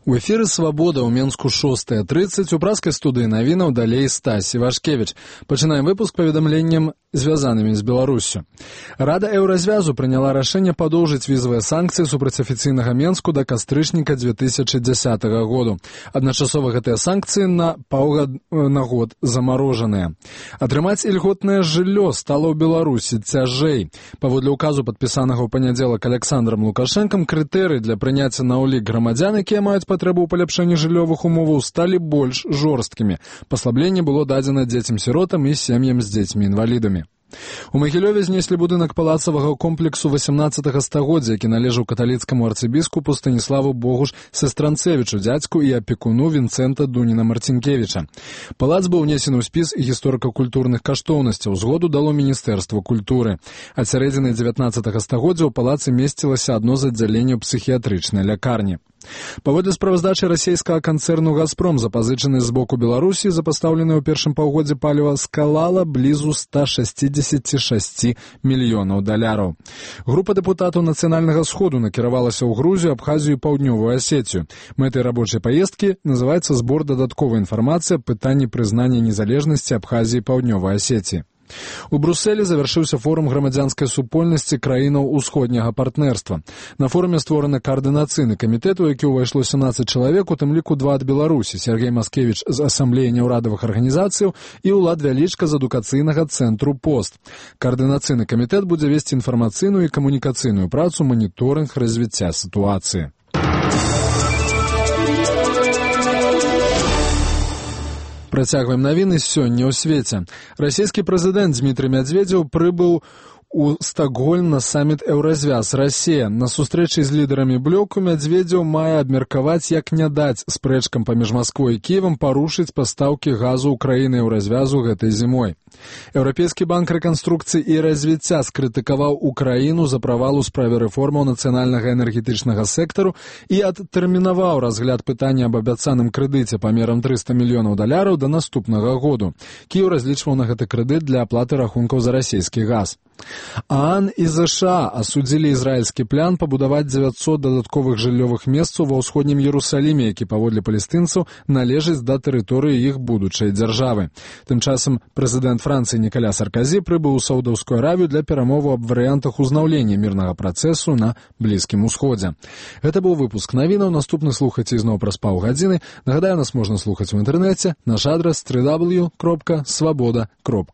У эфіры «Свабода» ў Менску 6:30, у праскай студыі навінаў далей Стась Івашкевіч. Пачынаем выпуск паведамленнем, звязанымі з Беларуссю. Рада Еўразвязу прыняла рашэнне падоўжыць візавыя санкцыі супраць афіцыйнага Менску да кастрычніка 2010 году. Адначасова гэтыя санкцыі на год замарожаныя. Атрымаць ільготнае жыллё стала ў Беларусі цяжэй. Паводле указу, падпісанага ў панядзелак Александром Лукашэнкам, крытэрыі для прыняцця на ўлік грамадзян, якія маюць патрэбу ў паляпшэнні жыллёвых умоваў, сталі больш жорсткімі. Паслабленне было дадзена дзецям-сіротам і сем'ям з дзецьмі-інвалідамі. У Магілёве знеслі будынак палацавага комплексу 18 стагоддзя, які належаў каталіцкаму арцыбіскупу Станіславу Богуш Сестранцевічу, дзядзьку і апекуну Вінцэнта Дуніна-Марцінкевіча. Палац быў унесены ў спіс гісторыка-культурных каштоўнасцяў, згоду дало Міністэрства культуры. Ад сярэдзіны 19 стагоддзя ў палацы месцілася адно з аддзяленняў псіхіятрычнай лякарні. Паводле справаздачы расійскага канцэрну «Газпром», запазычаны з боку Беларусі за пастаўленае ў першым паўгоддзі паліва скалала блізу 166 мільёнаў даляраў. Група дэпутатаў Нацыянальнага сходу накіравалася ў Грузію, Абхазію і Паўднёвую Асетію. Мэтай рабочай паездкі называецца збор дадатковай інфармацыі аб пытанні прызнання незалежнасці Абхазіі і Паўднёвай Асетіі. У Брусэлі завяршыўся форум грамадзянскай супольнасці краінаў усходняга партнерства. На форуме створаны каардынацыйны камітэт, у які ўвайшло 17 чалавек, у тым ліку 2 ад Беларусі, Сергей Маскевіч з асамблеі няўрадавых арганізацыяў і Улад Вялічка з адукацыйнага цэнтру «Пост». Каардынацыйны камітэт будзе весці інфармацыйную і камунікацыйную працу, маніторынг развіцця сітуацыі. Працягваем навіны сёння ў свеце. Расійскі прэзідэнт Дмітрый Мядзведзеў прыбыў у Стокгольм на саміт «Еўразвяз Расія». На сустрэчы з лідарамі блоку Мядзведзеў мае абмеркаваць, як не даць спрэчкам паміж Масквой і Кіевам парушыць пастаўкі газу ў краіны Еўразвязу гэтай зімой. Еўрапейскі банк рэканструкцыі і развіцця скрытыкаваў Украіну за правал у справе рэформаў нацыянальнага энергетычнага сектару і адтэрмінаваў разгляд пытання аб абяцаным крэдыце памерам 300 мільёнаў даляраў да наступнага году. Кіеў разлічваў на гэты крэдыт для аплаты рахункаў за расійскі газ. ААН і ЗША асудзілі ізраільскі план пабудаваць 900 дадатковых жыллёвых месцаў ва ўсходнім Іерусаліме, які паводле палестынцаў належыць да тэрыторыі іх будучай дзяржавы. Тым часам прэзідэнт Францыі Нікаля Сарказі прыбыў у Саўдаўскую Аравію для перамоваў аб варыянтах узнаўлення мірнага працэсу на Блізкім Усходзе. Гэта быў выпуск навінаў, наступны слухайце ізноў праз паўгадзіны. Нагадаю, нас можна слухаць у інтэрнэце, наш адрас www.swaboda.org.